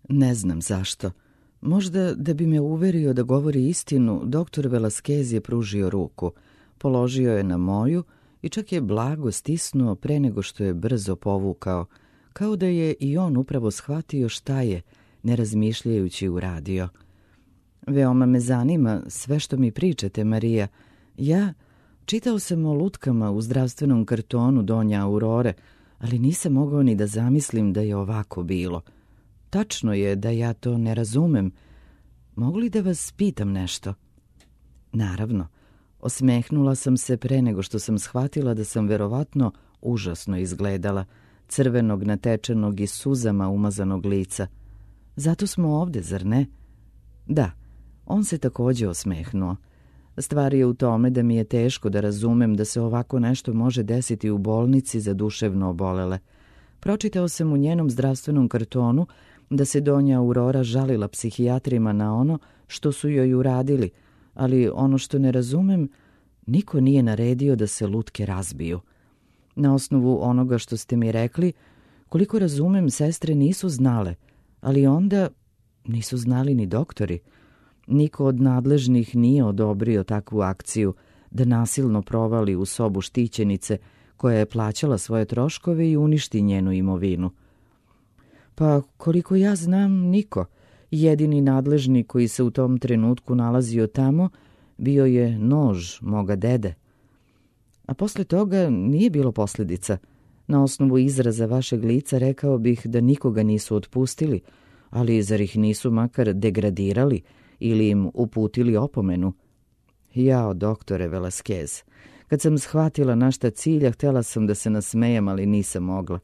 Ne znam zašto. Možda da bi me uverio da govori istinu, doktor Velasquez je pružio ruku, položio je na moju i čak je blago stisnuo pre nego što je brzo povukao, kao da je i on upravo shvatio šta je, ne razmišljajući uradio. Veoma me zanima sve što mi pričate, Marija. Čitao sam o lutkama u zdravstvenom kartonu Donja Aurore, ali nisam mogao ni da zamislim da je ovako bilo. Tačno je da ja to ne razumem. Mogu li da vas pitam nešto? Naravno. Osmehnula sam se pre nego što sam shvatila da sam verovatno užasno izgledala, crvenog, natečenog i suzama umazanog lica. Zato smo ovde, zar ne? Da, on se takođe osmehnuo. Stvar je u tome da mi je teško da razumem da se ovako nešto može desiti u bolnici za duševno obolele. Pročitao sam u njenom zdravstvenom kartonu da se Donja Aurora žalila psihijatrima na ono što su joj uradili, ali ono što ne razumem, niko nije naredio da se lutke razbiju. Na osnovu onoga što ste mi rekli, koliko razumem, sestre nisu znale, ali onda nisu znali ni doktori. Niko od nadležnih nije odobrio takvu akciju da nasilno provali u sobu štićenice koja je plaćala svoje troškove i uništi njenu imovinu. Pa koliko ja znam, niko. Jedini nadležni koji se u tom trenutku nalazio tamo bio je nož moga dede. A posle toga nije bilo posljedica. Na osnovu izraza vašeg lica rekao bih da nikoga nisu otpustili, ali zar ih nisu makar degradirali ili im uputili opomenu? Jao, doktore Velasquez, kad sam shvatila na šta cilja, htjela sam da se nasmejem, ali nisam mogla.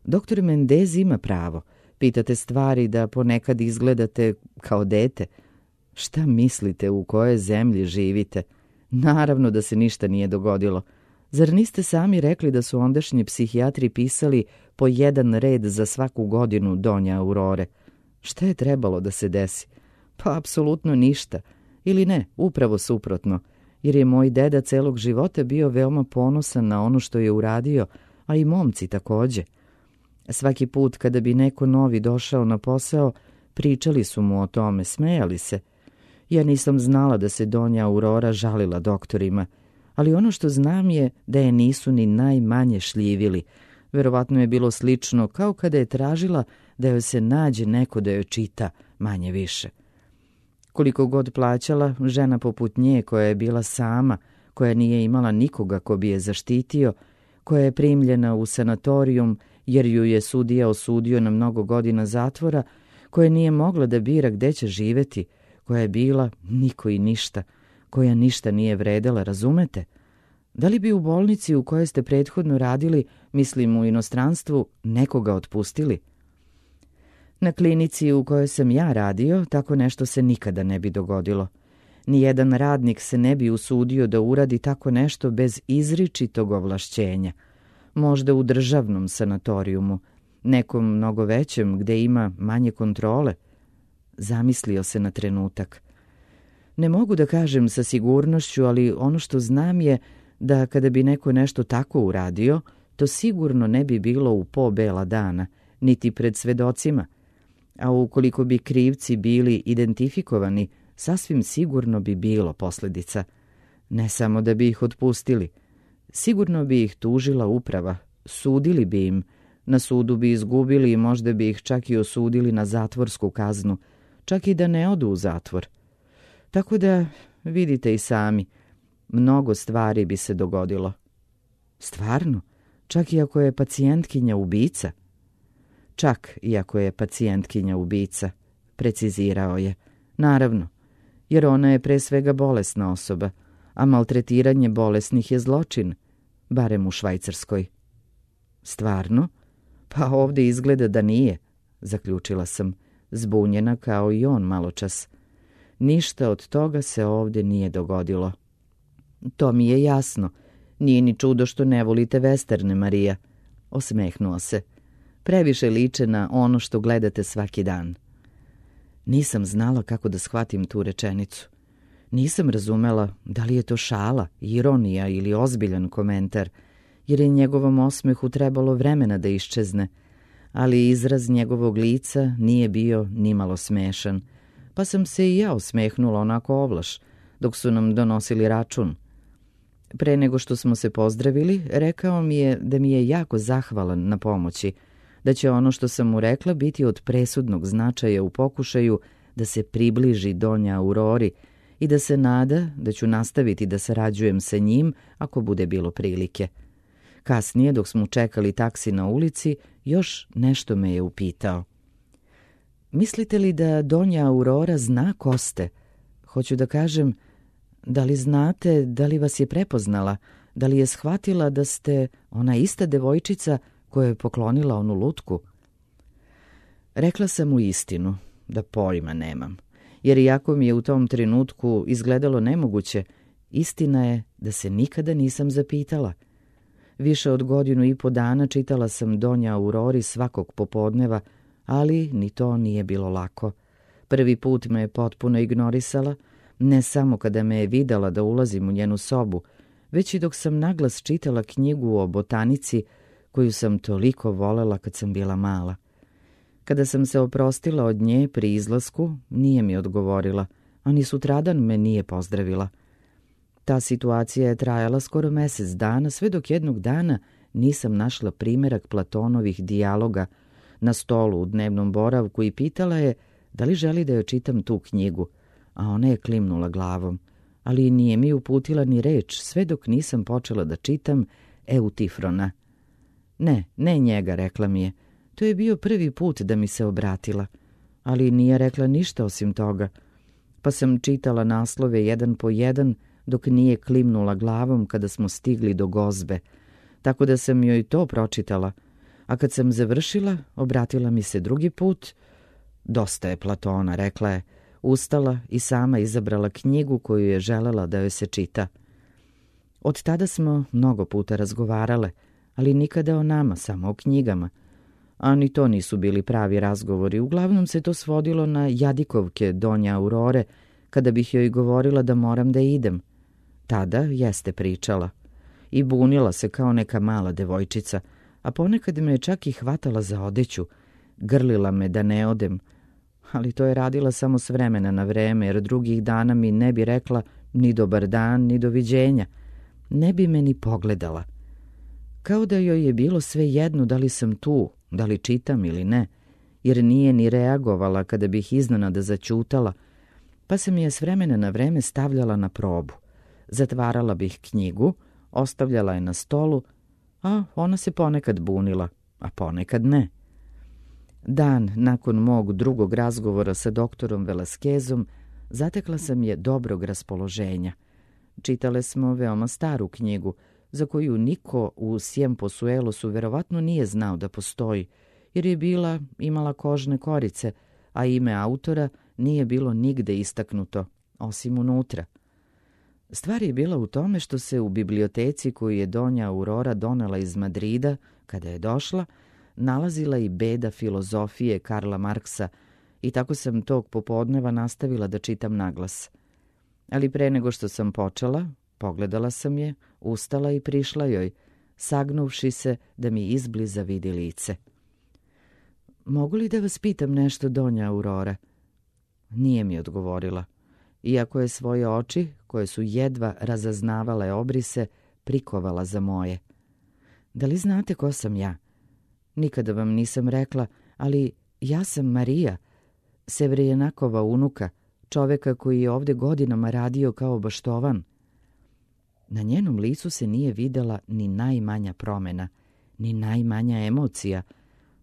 Doktor Mendez ima pravo. Pitate stvari da ponekad izgledate kao dete. Šta mislite, u kojoj zemlji živite? Naravno da se ništa nije dogodilo. Zar niste sami rekli da su ondašnji psihijatri pisali po jedan red za svaku godinu Donja Aurore? Šta je trebalo da se desi? Pa apsolutno ništa. Ili ne, upravo suprotno, jer je moj deda celog života bio veoma ponosan na ono što je uradio, a i momci takođe. Svaki put kada bi neko novi došao na posao, pričali su mu o tome, smejali se. Ja nisam znala da se Donja Aurora žalila doktorima, ali ono što znam je da je nisu ni najmanje šljivili. Verovatno je bilo slično kao kada je tražila da joj se nađe neko da joj čita, manje više. Koliko god plaćala, žena poput nje koja je bila sama, koja nije imala nikoga ko bi je zaštitio, koja je primljena u sanatorijum jer ju je sudija osudio na mnogo godina zatvora, koja nije mogla da bira gde će živeti, koja je bila niko i ništa, koja ništa nije vredela, razumete? Da li bi u bolnici u kojoj ste prethodno radili, mislim u inostranstvu, nekoga otpustili? Na klinici u kojoj sam ja radio, tako nešto se nikada ne bi dogodilo. Nijedan radnik se ne bi usudio da uradi tako nešto bez izričitog ovlašćenja. Možda u državnom sanatorijumu, nekom mnogo većem gde ima manje kontrole. Zamislio se na trenutak. Ne mogu da kažem sa sigurnošću, ali ono što znam je da kada bi neko nešto tako uradio, to sigurno ne bi bilo u po bela dana, niti pred svedocima. A ukoliko bi krivci bili identifikovani, sasvim sigurno bi bilo posljedica. Ne samo da bi ih otpustili. Sigurno bi ih tužila uprava, sudili bi im, na sudu bi izgubili i možda bi ih čak i osudili na zatvorsku kaznu, čak i da ne odu u zatvor. Tako da, vidite i sami, mnogo stvari bi se dogodilo. Stvarno? Čak i ako je pacijentkinja ubica? Čak i ako je pacijentkinja ubica, precizirao je. Naravno, jer ona je pre svega bolesna osoba, a maltretiranje bolesnih je zločin, barem u Švajcarskoj. Stvarno? Pa ovdje izgleda da nije, zaključila sam, zbunjena kao i on maločas. Ništa od toga se ovdje nije dogodilo. To mi je jasno. Nije ni čudo što ne volite vesterne, Marija. Osmehnuo se. Previše liče na ono što gledate svaki dan. Nisam znala kako da shvatim tu rečenicu. Nisam razumela da li je to šala, ironija ili ozbiljan komentar, jer je njegovom osmehu trebalo vremena da iščezne, ali izraz njegovog lica nije bio nimalo smešan, pa sam se i ja osmehnula onako ovlaš, dok su nam donosili račun. Pre nego što smo se pozdravili, rekao mi je da mi je jako zahvalan na pomoći, da će ono što sam mu rekla biti od presudnog značaja u pokušaju da se približi Donja Aurori i da se nada da ću nastaviti da sarađujem sa njim ako bude bilo prilike. Kasnije, dok smo čekali taksi na ulici, još nešto me je upitao. Mislite li da Donja Aurora zna ko ste? Hoću da kažem, da li znate, da li vas je prepoznala, da li je shvatila da ste ona ista devojčica koja je poklonila onu lutku? Rekla sam mu istinu, da pojma nemam, jer iako mi je u tom trenutku izgledalo nemoguće, istina je da se nikada nisam zapitala. Više od 1.5 dana čitala sam Donja Aurori svakog popodneva, ali ni to nije bilo lako. Prvi put me je potpuno ignorisala, ne samo kada me je videla da ulazim u njenu sobu, već i dok sam naglas čitala knjigu o botanici koju sam toliko volela kad sam bila mala. Kada sam se oprostila od nje pri izlasku, nije mi odgovorila, a ni sutradan me nije pozdravila. Ta situacija je trajala skoro mjesec dana, sve dok jednog dana nisam našla primerak Platonovih dijaloga na stolu u dnevnom boravku i pitala je da li želi da joj čitam tu knjigu, a ona je klimnula glavom, ali nije mi uputila ni reč sve dok nisam počela da čitam Eutifrona. Ne njega, rekla mi je. To je bio prvi put da mi se obratila, ali nije rekla ništa osim toga, pa sam čitala naslove jedan po jedan dok nije klimnula glavom kada smo stigli do gozbe, tako da sam joj to pročitala, a kad sam završila, obratila mi se drugi put. Dosta je Platona, rekla je, ustala i sama izabrala knjigu koju je želela da joj se čita. Od tada smo mnogo puta razgovarale, ali nikada o nama, samo o knjigama. A ni to nisu bili pravi razgovori, uglavnom se to svodilo na jadikovke Donje Aurore, kada bih joj govorila da moram da idem. Tada jeste pričala. I bunila se kao neka mala devojčica, a ponekad me je čak i hvatala za odeću, grlila me da ne odem, ali to je radila samo s vremena na vreme, jer drugih dana mi ne bi rekla ni dobar dan, ni doviđenja. Ne bi me ni pogledala. Kao da joj je bilo sve jedno da li sam tu, da li čitam ili ne, jer nije ni reagovala kada bih iznenada zaćutala, pa se mi je s vremena na vreme stavljala na probu. Zatvarala bih knjigu, ostavljala je na stolu, a ona se ponekad bunila, a ponekad ne. Dan nakon mog drugog razgovora sa doktorom Velaskezom zatekla sam je dobrog raspoloženja. Čitale smo veoma staru knjigu, za koju niko u Siemposuelosu verovatno nije znao da postoji, jer je imala kožne korice, a ime autora nije bilo nigde istaknuto, osim unutra. Stvar je bila u tome što se u biblioteci koju je Donja Aurora donela iz Madrida, kada je došla, nalazila i beda filozofije Karla Marksa i tako sam tog popodneva nastavila da čitam naglas. Ali pre nego što sam počela, pogledala sam je, ustala i prišla joj, sagnuvši se da mi izbliza vidi lice. Mogu li da vas pitam nešto, Donja Aurora? Nije mi odgovorila, iako je svoje oči, koje su jedva razaznavale obrise, prikovala za moje. Da li znate ko sam ja? Nikada vam nisam rekla, ali ja sam Marija, Sevrijenakova unuka, čoveka koji je ovde godinama radio kao baštovan. Na njenom licu se nije videla ni najmanja promena, ni najmanja emocija,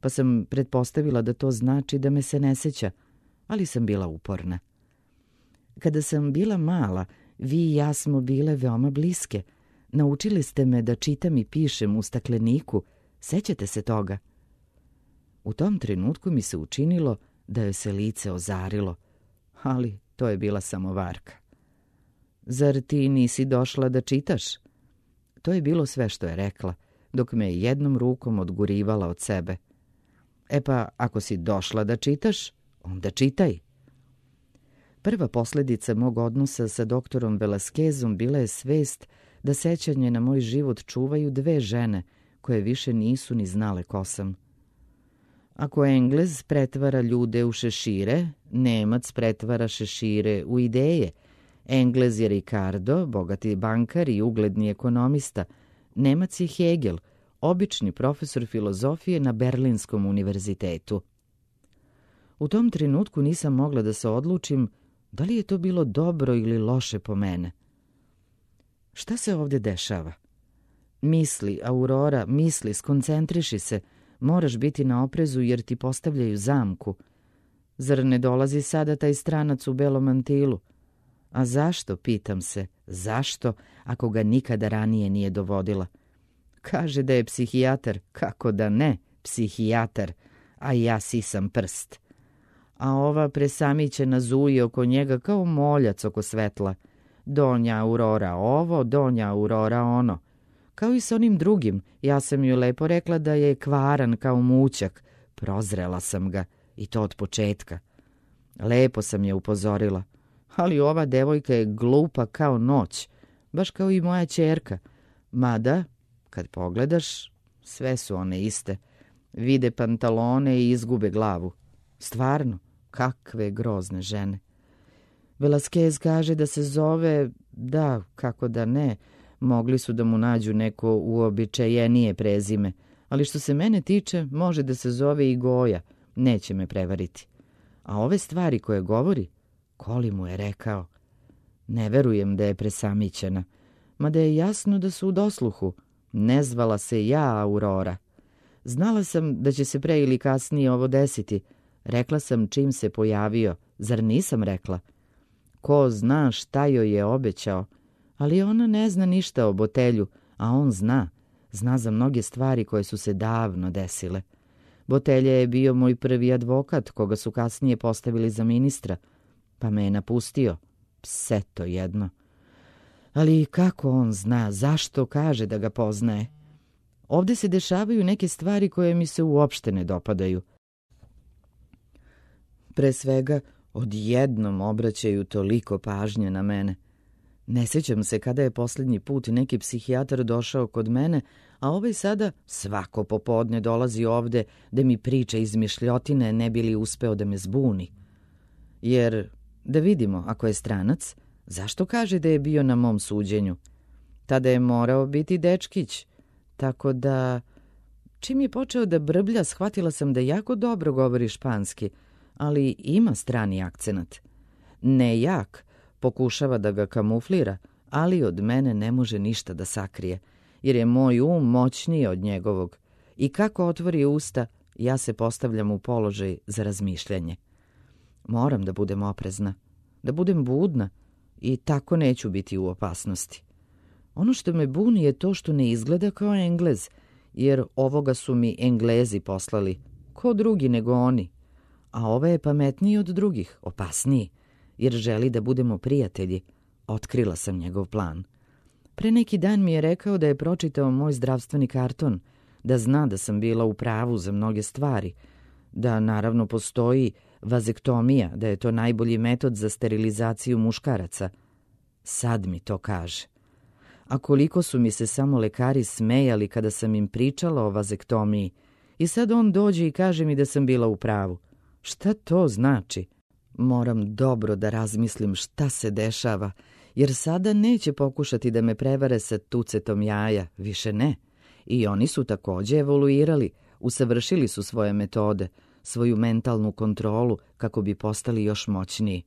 pa sam pretpostavila da to znači da me se ne seća, ali sam bila uporna. Kada sam bila mala, vi i ja smo bile veoma bliske. Naučili ste me da čitam i pišem u stakleniku. Sećate se toga? U tom trenutku mi se učinilo da joj se lice ozarilo, ali to je bila samo varka. Zar ti nisi došla da čitaš? To je bilo sve što je rekla, dok me je jednom rukom odgurivala od sebe. E pa, ako si došla da čitaš, onda čitaj. Prva posljedica mog odnosa sa doktorom Velaskezom bila je svest da sećanje na moj život čuvaju 2 žene koje više nisu ni znale ko sam. Ako Englez pretvara ljude u šešire, Nemac pretvara šešire u ideje. Englez je Ricardo, bogati bankar i ugledni ekonomista. Nemac je Hegel, obični profesor filozofije na Berlinskom univerzitetu. U tom trenutku nisam mogla da se odlučim da li je to bilo dobro ili loše po mene. Šta se ovdje dešava? Misli, Aurora, misli, skoncentriši se. Moraš biti na oprezu jer ti postavljaju zamku. Zar ne dolazi sada taj stranac u belom mantilu? A zašto, pitam se, zašto, ako ga nikada ranije nije dovodila? Kaže da je psihijatar, kako da ne, psihijatar, a ja sisam prst. A ova presamićena zuje oko njega kao moljac oko svetla. Donja Aurora ovo, donja Aurora ono. Kao i s onim drugim, ja sam joj lepo rekla da je kvaran kao mućak. Prozrela sam ga, i to od početka. Lepo sam je upozorila, ali ova devojka je glupa kao noć, baš kao i moja ćerka. Mada, kad pogledaš, sve su one iste. Vide pantalone i izgube glavu. Stvarno, kakve grozne žene. Velasquez kaže da se zove, da, kako da ne, mogli su da mu nađu neko uobičajenije prezime, ali što se mene tiče, može da se zove i Goja, neće me prevariti. A ove stvari koje govori, Koli mu je rekao. Ne verujem da je presamićena, mada je jasno da su u dosluhu. Ne zvala se ja Aurora. Znala sam da će se pre ili kasnije ovo desiti. Rekla sam čim se pojavio, zar nisam rekla? Ko zna šta joj je obećao, ali ona ne zna ništa o Botelju, a on zna. Zna za mnoge stvari koje su se davno desile. Botelja je bio moj prvi advokat, koga su kasnije postavili za ministra, pa me je napustio. Pseto jedno. Ali kako on zna, zašto kaže da ga poznaje? Ovdje se dešavaju neke stvari koje mi se uopšte ne dopadaju. Pre svega, odjednom obraćaju toliko pažnje na mene. Ne sjećam se kada je posljednji put neki psihijatar došao kod mene, a ovaj sada svako popodne dolazi ovde da mi priča izmišljotine ne bi li uspeo da me zbuni. Jer, da vidimo, ako je stranac, zašto kaže da je bio na mom suđenju? Tada je morao biti dečkić, tako da... Čim je počeo da brblja, shvatila sam da jako dobro govori španski, ali ima strani akcenat. Ne jak, pokušava da ga kamuflira, ali od mene ne može ništa da sakrije, jer je moj moćniji od njegovog. I kako otvori usta, ja se postavljam u položaj za razmišljanje. Moram da budem oprezna, da budem budna i tako neću biti u opasnosti. Ono što me buni je to što ne izgleda kao Englez, jer ovoga su mi Englezi poslali, ko drugi nego oni. A ovaj je pametniji od drugih, opasniji, jer želi da budemo prijatelji. Otkrila sam njegov plan. Pre neki dan mi je rekao da je pročitao moj zdravstveni karton, da zna da sam bila u pravu za mnoge stvari, da naravno postoji vazektomija, da je to najbolji metod za sterilizaciju muškaraca. Sad mi to kaže. A koliko su mi se samo lekari smejali kada sam im pričala o vazektomiji. I sad on dođe i kaže mi da sam bila u pravu. Šta to znači? Moram dobro da razmislim šta se dešava, jer sada neće pokušati da me prevare sa tucetom jaja, više ne. I oni su također evoluirali, usavršili su svoje metode, svoju mentalnu kontrolu kako bi postali još moćniji.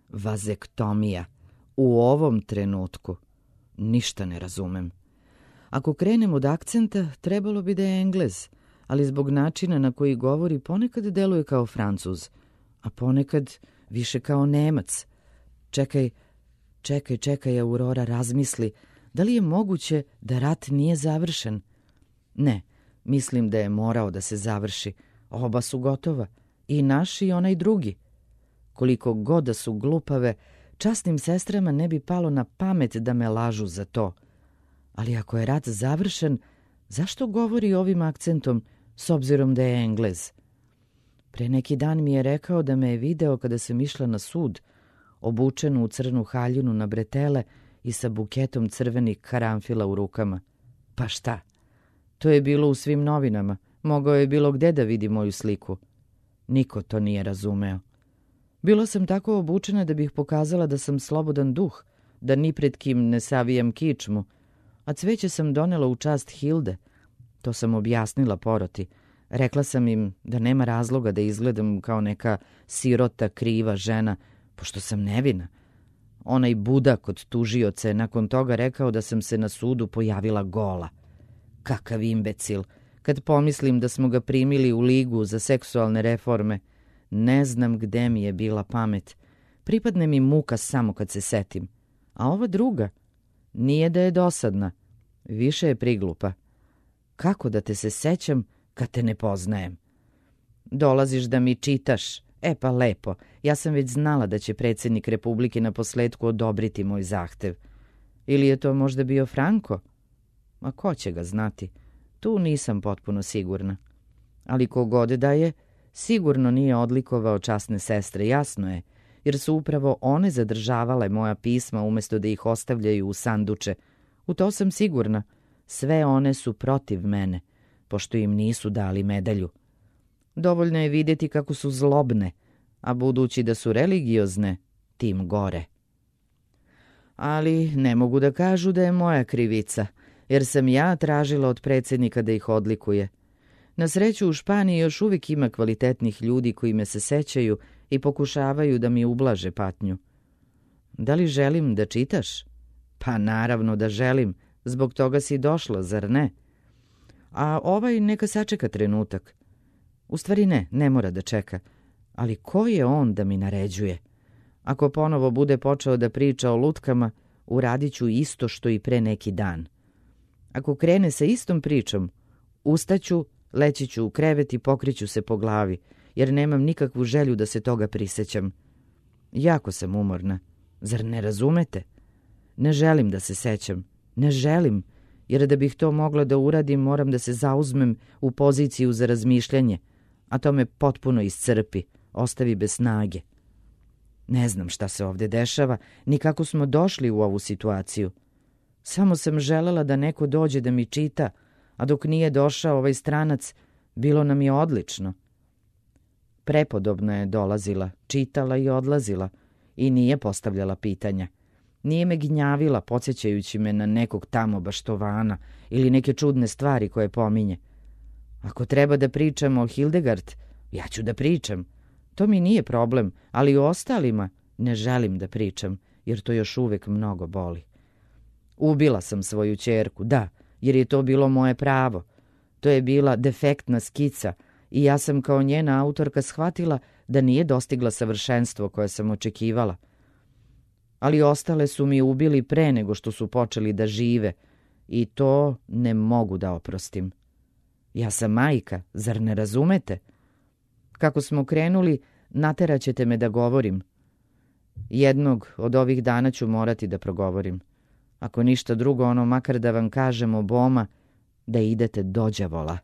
Vazektomija. U ovom trenutku. Ništa ne razumem. Ako krenem od akcenta, trebalo bi da je Englez, ali zbog načina na koji govori ponekad deluje kao Francuz, a ponekad više kao Nemac. Čekaj, Aurora, razmisli, da li je moguće da rat nije završen? Ne, mislim da je morao da se završi. Oba su gotova, i naš i onaj drugi. Koliko god da su glupave, časnim sestrama ne bi palo na pamet da me lažu za to. Ali ako je rat završen, zašto govori ovim akcentom s obzirom da je Englez? Pre neki dan mi je rekao da me je video kada sam išla na sud, obučenu u crnu haljinu na bretele i sa buketom crvenih karanfila u rukama. Pa šta? To je bilo u svim novinama, Mogao je bilo gde da vidi moju sliku. Niko to nije razumeo. Bila sam tako obučena da bih pokazala da sam slobodan duh, da ni pred kim ne savijam kičmu, a cveće sam donela u čast Hilde. To sam objasnila poroti. Rekla sam im da nema razloga da izgledam kao neka sirota, kriva žena, pošto sam nevina. Onaj budak od tužioca je nakon toga rekao da sam se na sudu pojavila gola. Kakav imbecil! Kad pomislim da smo ga primili u ligu za seksualne reforme, ne znam gde mi je bila pamet. Pripadne mi muka samo kad se setim. A ova druga, nije da je dosadna, više je priglupa. Kako da te se sećam kad te ne poznajem? Dolaziš da mi čitaš. E pa lepo, ja sam već znala da će predsjednik Republike na posledku odobriti moj zahtev. Ili je to možda bio Franko? Ma ko će ga znati? Tu nisam potpuno sigurna. Ali kogod da je, sigurno nije odlikovao časne sestre, jasno je, jer su upravo one zadržavale moja pisma umjesto da ih ostavljaju u sanduče. U to sam sigurna. Sve one su protiv mene, pošto im nisu dali medalju. Dovoljno je vidjeti kako su zlobne, a budući da su religiozne, tim gore. Ali ne mogu da kažu da je moja krivica, jer sam ja tražila od predsjednika da ih odlikuje. Na sreću u Španiji još uvijek ima kvalitetnih ljudi koji me se sećaju i pokušavaju da mi ublaže patnju. Da li želim da čitaš? Pa naravno da želim, zbog toga si došla, zar ne? A ovaj neka sačeka trenutak. U stvari ne mora da čeka. Ali ko je on da mi naređuje? Ako ponovo bude počeo da priča o lutkama, uradit ću isto što i pre neki dan. Ako krene sa istom pričom, ustaću, leći ću u krevet i pokriću se po glavi, jer nemam nikakvu želju da se toga prisećam. Jako sam umorna. Zar ne razumete? Ne želim da se sećam. Ne želim, jer da bih to mogla da uradim, moram da se zauzmem u poziciju za razmišljanje, a to me potpuno iscrpi, ostavi bez snage. Ne znam šta se ovdje dešava, ni kako smo došli u ovu situaciju. Samo sam želela da neko dođe da mi čita, a dok nije došao ovaj stranac, bilo nam je odlično. Prepodobno je dolazila, čitala i odlazila i nije postavljala pitanja. Nije me gnjavila, podsjećajući me na nekog tamo baštovana ili neke čudne stvari koje pominje. Ako treba da pričamo o Hildegard, ja ću da pričam. To mi nije problem, ali o ostalima ne želim da pričam, jer to još uvijek mnogo boli. Ubila sam svoju ćerku, da, jer je to bilo moje pravo. To je bila defektna skica i ja sam kao njena autorka shvatila da nije dostigla savršenstvo koje sam očekivala. Ali ostale su mi ubili pre nego što su počeli da žive i to ne mogu da oprostim. Ja sam majka, zar ne razumete? Kako smo krenuli, nateraćete me da govorim. Jednog od ovih dana ću morati da progovorim. Ako ništa drugo, ono makar da vam kažem oboma da idete do đavola.